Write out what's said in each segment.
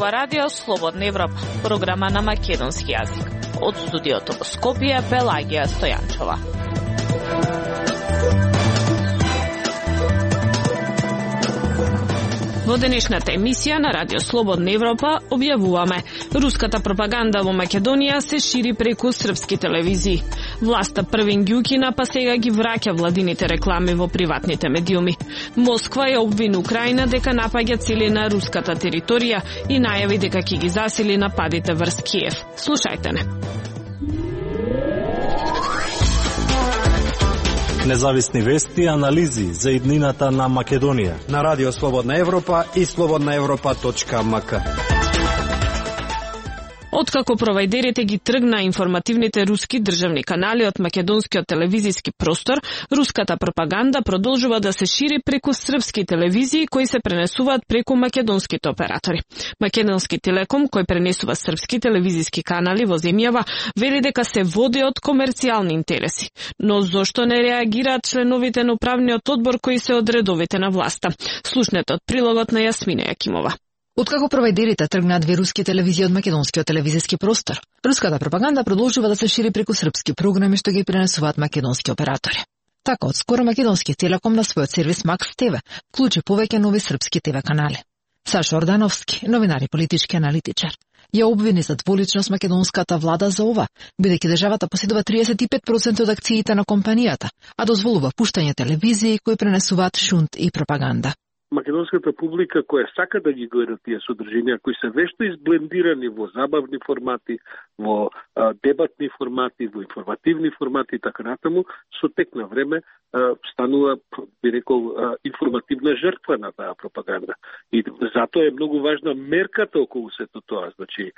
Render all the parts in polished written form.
зборува Радио Слободна Европа, програма на македонски јазик. Од студиото во Скопје, Пелагија Стојанчова. Во денешната емисија на Радио Слободна Европа објавуваме: руската пропаганда во Македонија се шири преку српски телевизии. Власта првен ги укина, па сега ги враќа владините реклами во приватните медиуми. Москва ја обвини Украина дека напаѓа цели на руската територија и најави дека ќе ги засили нападите врз Киев. Слушајте не. Независни вести и анализи за иднината на Македонија на Радио Слободна Европа и slobodnaevropa.mk. Откако провајдерите ги тргна информативните руски државни канали од македонскиот телевизиски простор, руската пропаганда продолжува да се шири преку српски телевизии кои се пренесуваат преку македонските оператори. Македонски Телеком, кој пренесува српски телевизиски канали во земјава, вели дека се води од комерцијални интереси. Но зошто не реагираат членовите на управниот одбор кои се од редовите на власта? Слушнете од прилогот на Јасмина Јакимова. Откако провајдерите тргнаа две руски телевизии од македонскиот телевизиски простор, руската пропаганда продолжува да се шири преку српски програми што ги пренесуваат македонски оператори. Така, од скоро македонски Телеком на својот сервис Макс ТВ вклучи повеќе нови српски ТВ канали. Сашо Ордановски, новинар и политички аналитичар, ја обвини за дволичност македонската влада за ова, бидејќи државата поседува 35% од акциите на компанијата, а дозволува пуштање телевизии кои пренесуваат шунт и пропаганда. Македонската публика која сака да ги гледа тие содржинија, кои се вешто изблендирани во забавни формати, во дебатни формати, во информативни формати и така натаму, со тек на време станува, би рекол, информативна жртва на таа пропаганда. И затоа е многу важна мерката околу сето тоа. Значи,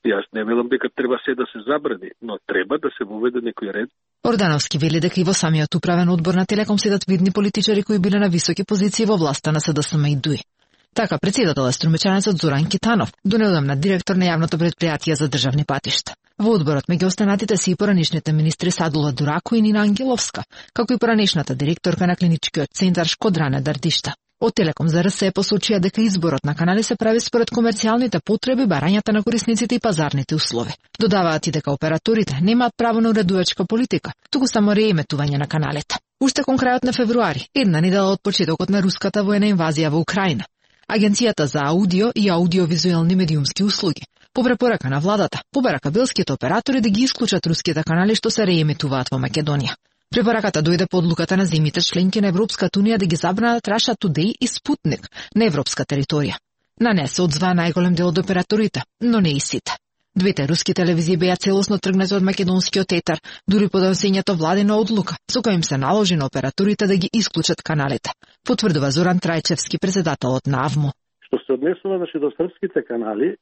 јас не велам дека треба се да се забрани, но треба да се воведе некој ред. Ордановски вели дека и во самиот управен одбор на Телеком седат видни политичари кои биле на високи позиции во власта на СДСМ и ДУИ. Така, председател е струмечанецот Зоран Китанов, донедавна директор на јавното предпријатие за државни патишта. Во одборот меѓу останатите се и поранешните министри Садула Дурако и Нина Ангеловска, како и поранешната директорка на клиничкиот центар Шкодране Дардишта. Од Телеком за РС посочија дека изборот на канали се прави според комерцијалните потреби, барањата на корисниците и пазарните услови. Додаваат и дека операторите немаат право на уредувачка политика, туку само рееметување на каналите. Уште кон крајот на февруари, една недела од почетокот на руската воена инвазија во Украина, Агенцијата за аудио и аудиовизуелни медиумски услуги по препорака на владата побара кабелските оператори да ги исклучат руските канали што се реемитуваат во Македонија. Препораката дојде по одлуката на земјите членки на Европската унија да ги забранат Russia Today и Sputnik на европска територија. На неа се одзваа најголем дел од операторите, но не и сите. Двете руски телевизии беа целосно тргнати од македонскиот етер, дури по донесењето владина одлука, со која им се наложи на операторите да ги исклучат каналите, потврдува Зоран Трајчевски, председателот на АВМО. Што се однесува до српските канали,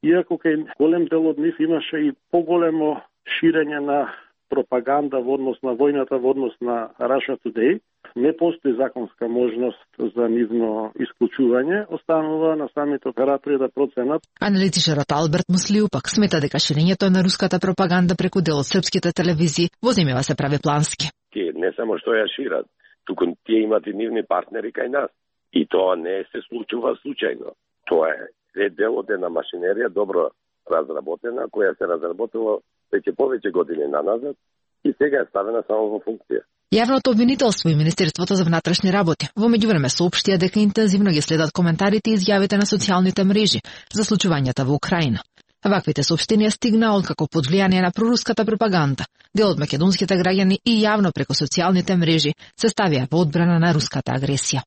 иако кај голем дел од нив имаше и поголемо ширење на пропаганда во однос на војната, во однос на Russia Today, не постои законска можност за нивно исклучување, останува на самите оператори да проценат. Аналитичарот Алберт Муслиу пак смета дека ширењето на руската пропаганда преку дел од српските телевизии во земјава се прави плански. Тие не само што ја шират, туку тие имат и нивни партнери кај нас. И тоа не се случува случајно. Тоа е дел од една машинерија добро разработена, која се разработила веќе повеќе години наназад и сега е ставена само во функција. Јавното обвинителство и Министерството за внатрешни работи во меѓувреме соопштија дека интензивно ги следат коментарите и изјавите на социјалните мрежи за случувањата во Украина. Ваквите соопштенија стигнаа откако под влијание на проруската пропаганда дел од македонските граѓани и јавно преку социјалните мрежи се ставија во одбрана на руската агресија.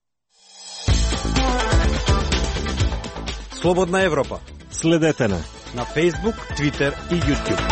Слободна Европа. Следете на Facebook, Twitter и YouTube.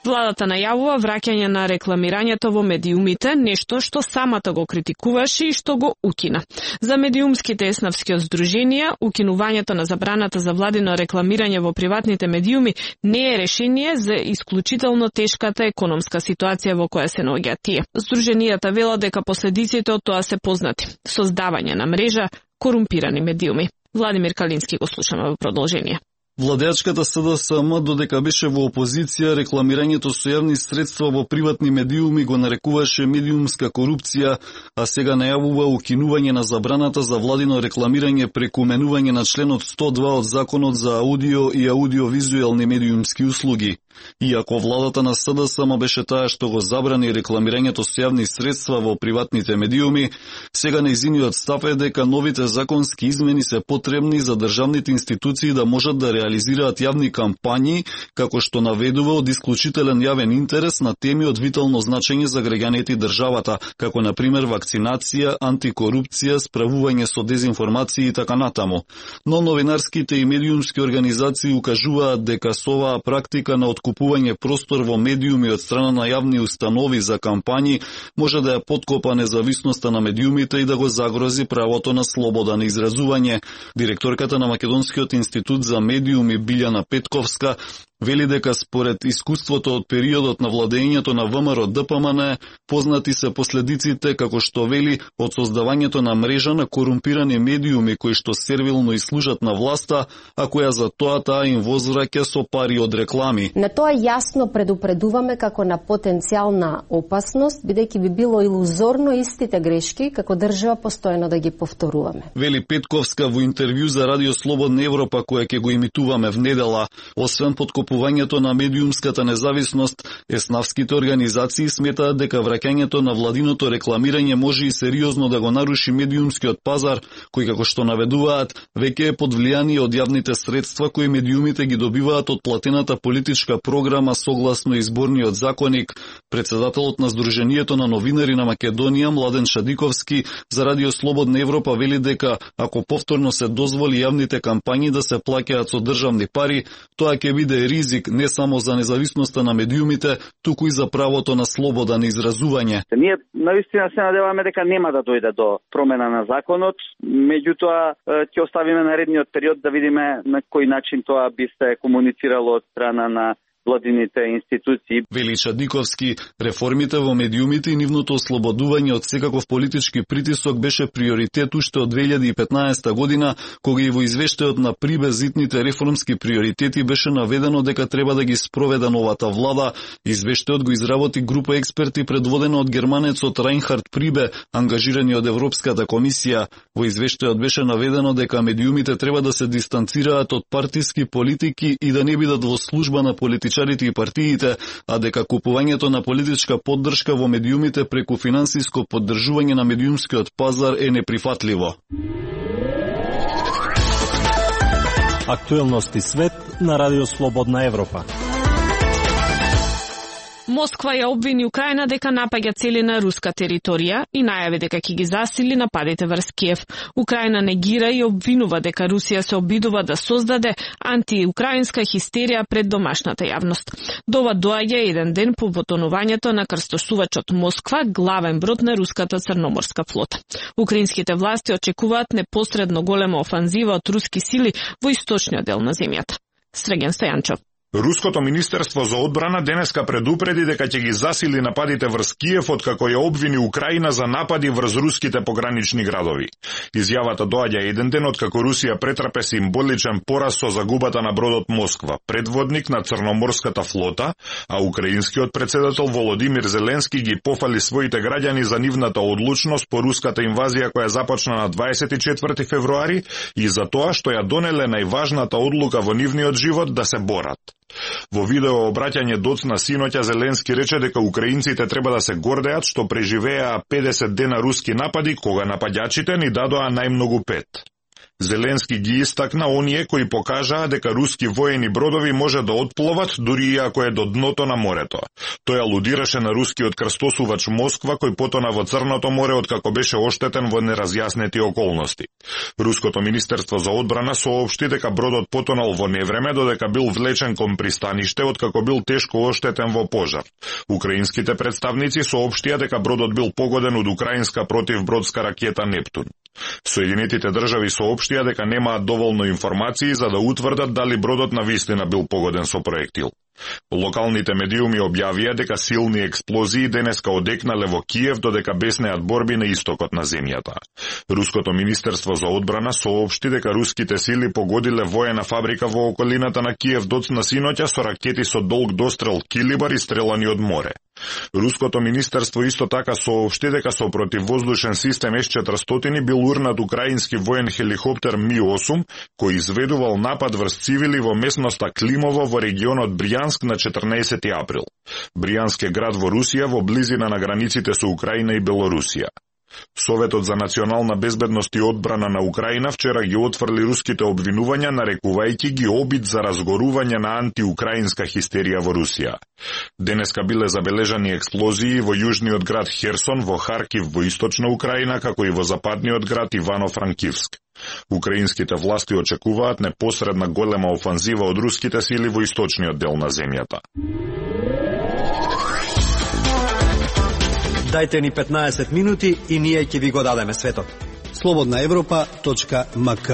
Владата најавува враќање на рекламирањето во медиумите, нешто што самата го критикуваше и што го укина. За медиумските еснавски здруженија, укинувањето на забраната за владино рекламирање во приватните медиуми не е решение за исклучително тешката економска ситуација во која се наоѓаат тие. Здруженијата велат дека последиците од тоа се познати: создавање на мрежа корумпирани медиуми. Владимир Калински го слушаме во продолжение. Владеачката СДСМ, додека беше во опозиција, рекламирањето со јавни средства во приватни медиуми го нарекуваше медиумска корупција, а сега најавува укинување на забраната за владино рекламирање преку менување на членот 102 од Законот за аудио и аудиовизуелни медиумски услуги. Иако владата на СДСМ беше таа што го забрани рекламирањето со јавни средства во приватните медиуми, сега нејзиниот став е дека новите законски измени се потребни за државните институции да можат да реализираат јавни кампањи, како што наведува од исклучителен јавен интерес на теми од витално значење за граѓаните и државата, како на пример вакцинација, антикорупција, справување со дезинформација и така натаму. Но новинарските и медиумски организации укажуваат дека со оваа практика на откупување простор во медиуми од страна на јавни установи за кампањи може да ја поткопа независноста на медиумите и да го загрози правото на слобода на изразување. Директорката на Македонскиот институт за медиуми Билјана Петковска вели дека според искуството од периодот на владењето на ВМРО ДПМН познати се последиците, како што вели, од создавањето на мрежа на корумпирани медиуми кои што сервилно и служат на власта, а која за тоа таа им возвраќа со пари од реклами. На тоа јасно предупредуваме како на потенцијална опасност, бидејќи би било илузорно истите грешки како држава постојано да ги повторуваме. Вели Петковска во интервју за Радио Слободна Европа, која ќе го имитуваме внедела. Освен подкопувањето на медиумската независност, еснавските организации сметаат дека враќањето на владиното рекламирање може и сериозно да го наруши медиумскиот пазар, кој, како што наведуваат, веќе е под влијание од јавните средства кои медиумите ги добиваат од платената политичка програма согласно изборниот законник. Председателот на Сдруженијето на новинари на Македонија, Младен Шадиковски, за Радио Слободна Европа вели дека ако повторно се дозволи јавните кампањи да се плаќаат со државни пари, тоа ќе биде ризик не само за независноста на медиумите, туку и за правото на слобода на изразување. Ние наистина се надеваме дека нема да дојде до промена на законот, меѓутоа ќе оставиме наредниот период да видиме на кој начин тоа би се комуницирало од страна на владините институции. Вели Шадиковски, реформите во медиумите и нивното ослободување од секаков политички притисок беше приоритет уште од 2015 година, кога и во извештајот на Прибе зитните реформски приоритети беше наведено дека треба да ги спроведе новата влада. Извештајот го изработи група експерти предводена од германецот Райнхард Прибе, ангажирани од Европската комисија. Во извештајот беше наведено дека медиумите треба да се дистанцираат од партиски политики и да не бидат во служба на политичарите и партиите, а дека купувањето на политичка поддршка во медиумите преку финансиско поддржување на медиумскиот пазар е неприфатливо. Актуелности свет на Радио Слободна Европа. Москва ја обвини Украина дека напаѓа цели на руска територија и најави дека ќе ги засили нападите врз Киев. Украина негира и обвинува дека Русија се обидува да создаде антиукраинска хистерија пред домашната јавност. Дова доаѓа еден ден по потонувањето на крстосувачот Москва, главен брод на руската црноморска флота. Украинските власти очекуваат непосредно голема офанзива од руски сили во источниот дел на земјата. Среген Стојанчов. Руското министерство за одбрана денеска предупреди дека ќе ги засили нападите врз Киев откако ја обвини Украина за напади врз руските погранични градови. Изјавата доаѓа еден ден откако Русија претрпе символичен пораз со загубата на бродот Москва, предводник на црноморската флота, а украинскиот председател Володимир Зеленски ги пофали своите граѓани за нивната одлучност по руската инвазија која започна на 24 февруари и за тоа што ја донеле најважната одлука во нивниот живот да се борат. Во видео обраќање доцна синоќа Зеленски рече дека украинците треба да се гордеат што преживеа 50 дена руски напади кога напаѓачите ни дадоа најмногу 5. Зеленски ги истакна оние кои покажаа дека руски воени бродови може да отпловат дури и ако е до дното на морето. Тој алудираше на рускиот крстосувач Москва кој потона во Црното море откако беше оштетен во неразјаснети околности. Руското министерство за одбрана соопшти дека бродот потонал во невреме додека бил влечен кон пристаниште откако бил тешко оштетен во пожар. Украинските представници соопштија дека бродот бил погоден од украинска противбродска ракета Нептун. Соединетите држави соопштија дека немаат доволно информации за да утврдат дали бродот навистина бил погоден со проектил. Локалните медиуми објавија дека силни експлозии денеска одекнале во Киев додека беснеат борби на истокот на земјата. Руското министерство за одбрана соопшти дека руските сили погодиле воена фабрика во околината на Киев доцна синоќа со ракети со долг дострел килибар и стрелани од море. Руското министерство исто така соопшти дека со противвоздушен систем С-400 бил урнат украински воен хеликоптер Ми-8 кој изведувал напад врз цивили во местноста Климово во регионот Бријанск на 14 април. Бријанск е град во Русија во близина на границите со Украина и Белорусија. Советот за национална безбедност и одбрана на Украина вчера ги отфрли руските обвинувања, нарекувајќи ги обид за разгорување на антиукраинска хистерија во Русија. Денеска биле забележани експлозии во јужниот град Херсон, во Харкив во источна Украина, како и во западниот град Ивано-Франкивск. Украинските власти очекуваат непосредна голема офанзива од руските сили во источниот дел на земјата. Дајте ни 15 минути и ние ќе ви го дадеме светот. slobodnaevropa.mk.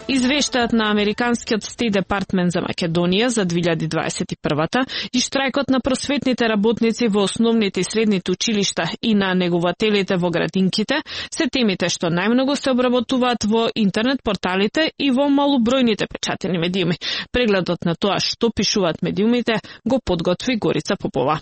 Извештајот на Американскиот Стейт Департмент за Македонија за 2021-та и штрајкот на просветните работници во основните и средните училишта и на негователите во градинките се темите што најмногу се обработуваат во интернет порталите и во малобројните печатени медиуми. Прегледот на тоа што пишуваат медиумите го подготви Горица Попова.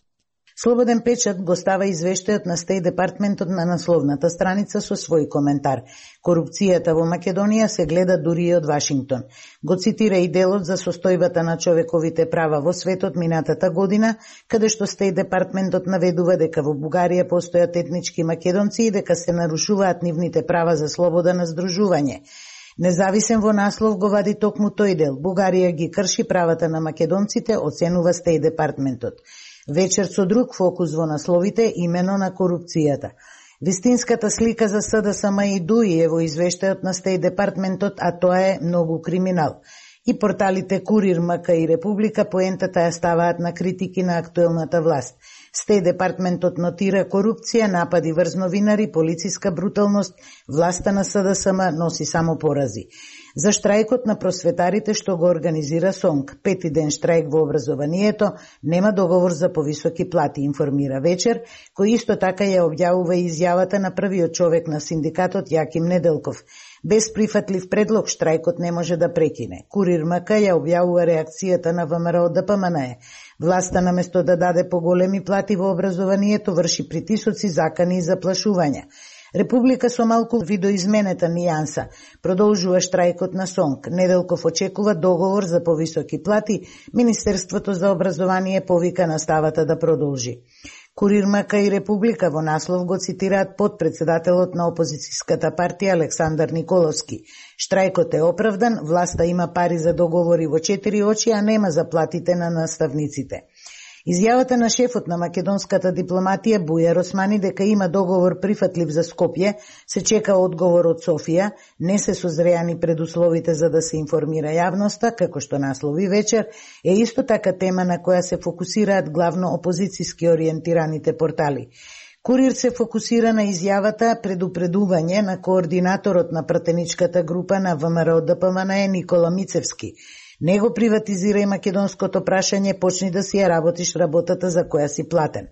Слободен печат го става извештајот на Стейт Департментот на насловната страница со свој коментар. Корупцијата во Македонија се гледа дури и од Вашингтон. Го цитира и делот за состојбата на човековите права во светот минатата година, каде што Стейт Департментот наведува дека во Бугарија постојат етнички македонци и дека се нарушуваат нивните права за слобода на здружување. Независен во наслов го вади токму тој дел. Бугарија ги крши правата на македонците, оценува Стейт Департментот. Вечер со друг фокус во насловите имено на корупцијата. Вистинската слика за СДСМ и ДУИ е во извештајот на Стейт Департментот, а тоа е многу криминал. И порталите Курир, МК и Република поентата ја ставаат на критики на актуелната власт. Стейт Департментот нотира корупција, напади врз новинари, полициска бруталност, власта на СДСМ носи само порази. За штрајкот на просветарите што го организира СОНК, 5 ден штрајк во образованието, нема договор за повисоки плати, информира Вечер, кој исто така ја објавува изјавата на првиот човек на синдикатот Јаким Неделков. Без прифатлив предлог штрајкот не може да прекине. Курир МК ја објавува реакцијата на ВМРО ДПМНЕ. Власта наместо да даде поголеми плати во образованието врши притисоци, закани и заплашувања. Република со малку видоизменета нијанса продолжува штрајкот на СОНК. Неделков очекува договор за повисоки плати, Министерството за образование повика наставата да продолжи. Курир МК и Република во наслов го цитираат подпредседателот на опозицијската партија Александар Николовски. Штрајкот е оправдан, власта има пари за договори во 4 очи, а нема за платите на наставниците. Изјавата на шефот на македонската дипломатија Бујар Османи дека има договор прифатлив за Скопје, се чека одговор од Софија, не се созреани предусловите за да се информира јавноста, како што наслови Вечер, е исто така тема на која се фокусираат главно опозицијски ориентираните портали. Курир се фокусира на изјавата предупредување на координаторот на пратеничката група на ВМРО ДПМНЕ Никола Мицевски. Не го приватизирај македонското прашање, почни да си ја работиш работата за која си платен.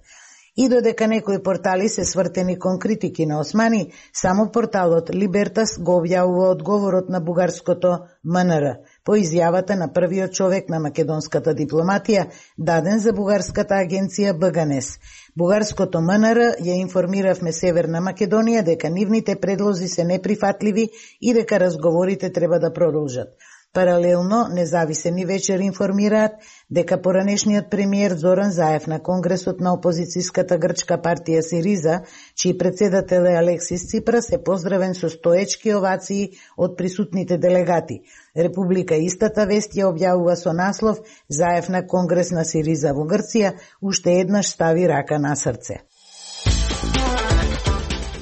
И додека некои портали се свртени кон критики на Османи, само порталот Либертас го објавува одговорот на бугарското МНР по изјавата на првиот човек на македонската дипломатија, даден за бугарската агенција БГНЕС. Бугарското МНР ја информиравме Северна Македонија дека нивните предлози се неприфатливи и дека разговорите треба да продолжат. Паралелно, независени Вечер информираат дека поранешниот премиер Зоран Заев на Конгресот на опозицијската грчка партија Сириза, чиј председател е Алексис Ципрас, е поздравен со стоечки овации од присутните делегати. Република истата вест ја објавува со наслов Заев на Конгрес на Сириза во Грција уште еднаш стави рака на срце.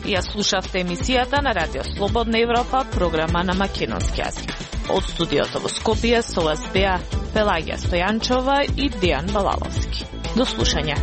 Ја слушавте емисијата на Радио Слободна Европа, програма на македонски јазик. Од студиото во Скопје со вас беа Пелагија Стојанчова и Дејан Балаловски. До слушање.